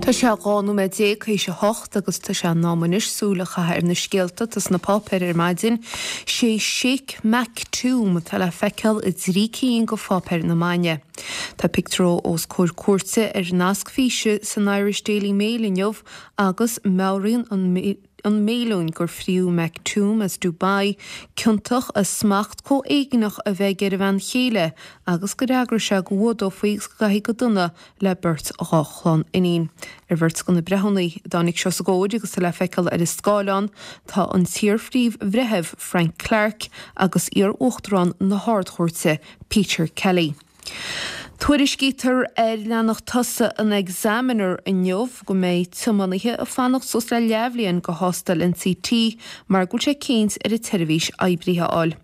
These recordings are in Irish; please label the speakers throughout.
Speaker 1: Tá sé 12 nóiméad théis a hocht agus tá sé in am anois súil a chaitheamh ar na scéalta atá sna páipéir ar maidin. Sé Sheikh Maktoum atá le feiceáil i dtrí cinn de pháipéir na maidne. Tá pictiúr dó os comhair cúirte ar nasc físe san Irish Daily Mail inniu agus meabhraíonn an an méiliún gur fríodh Maktoum as Dubai ciontach as smacht comhéigneach a bheith aige ar a bhean chéile agus gur fhreagraigh sé go bhfuadófaí agus go gcaithfí go dona le beirt dhá chlann iníon. Ar bheirt de na breithiúna a dtáinig seo os a gcomhair agus tá le feiceáil ar an scáileán tá an t-iar-phríomh-bhreitheamh Frank Clarke agus iar-uachtarán na hArd-Chúirte Peter Kelly. Tuairiscítear ar leathanach tosaigh an Examiner inniu go mbeidh tiománaithe ag fanacht suas le leathbhliain do thástáil NCT mar go bhfuil sé cinnt ar an tseirbhís oibrithe a fháil.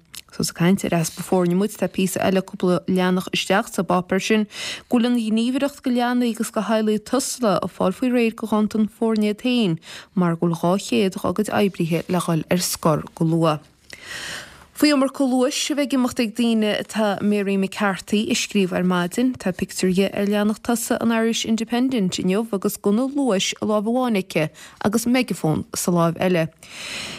Speaker 1: Is ag caint ar easpa foirne muid, tá píosa eile cúpla leathanach isteach sa bpáipéar sin go bhfuil an Ghníomhaireacht do Leanaí agus do Theaghlaigh Tusla ag fáil faoi réir do ghanntan foirne iad féin mar go bhfuil 200 dá gcuid oibrithe le dhul ar scor go luath. Faoi iomarca luais a bheith ag imeacht ag daoine atá Mary McCarthy ag scríobh ar maidin. Tá pictiúr di ar leathanach tosaigh an Irish Independent inniu agus gunna luais i láimh amháin aici agus meigeafón sa láimh eile.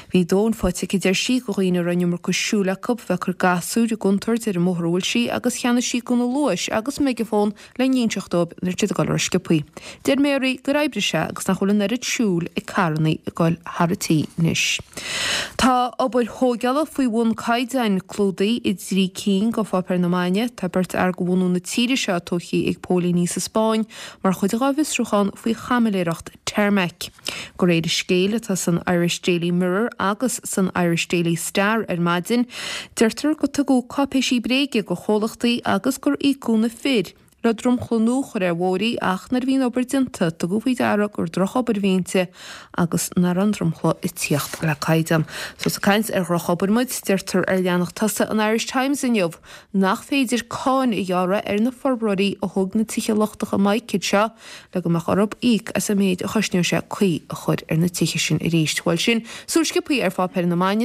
Speaker 1: Bhí dóthain faighte aici, deir sí, de dhaoine a raibh an iomarca siúil acu bheith ag cur gasúir i gcontúirt ar an mbóthar a bhfuil sí agus cheannaigh sí gunna luais agus meigeafón le n-inseacht dóibh nuair atá siad ag dul rósciobthaí. Deir Mary gur oibrigh sé agus nach bhfuil an oiread siúil ag carrannaí ag goil thar a tí anois. Tá obair thóigeála faoi bhun caighdeáin clúdaithe i dtrí cinn de pháipéir na maidne. Tá beirt fhear de bhunú na tíre seo tógtha ag póilíní sa Spáinn mar chuid dá bhfiosrúchán faoi chaimiléireacht tarmac. De réir an scéil atá san Irish Daily Mirror agus san Irish Daily Star ar maidin, deirtear gur tugadh cáipéisí bréige do chomhlachtaí agus gur íocadh na fir le dromchla nua a chur ar bhóithrí ach nuair a bhí an obair déanta tugadh faoi deara gur drochobair a bhí inti agus nach raibh an dromchla ag tíocht le caighdeán. So is ag caint ar dhrochobair muid, deirtear ar leathanach tosaigh an Irish Times inniu nach féidir cáin a ghearradh ar na forbróirí a thóg na tithe lochtacha mic seo le go mbeadh orthu íoc as an méid a chosnódh sé caoi a chur ar na tithe sin arís. Bhuel sin súil sciobthaí ar pháipéir na maidne.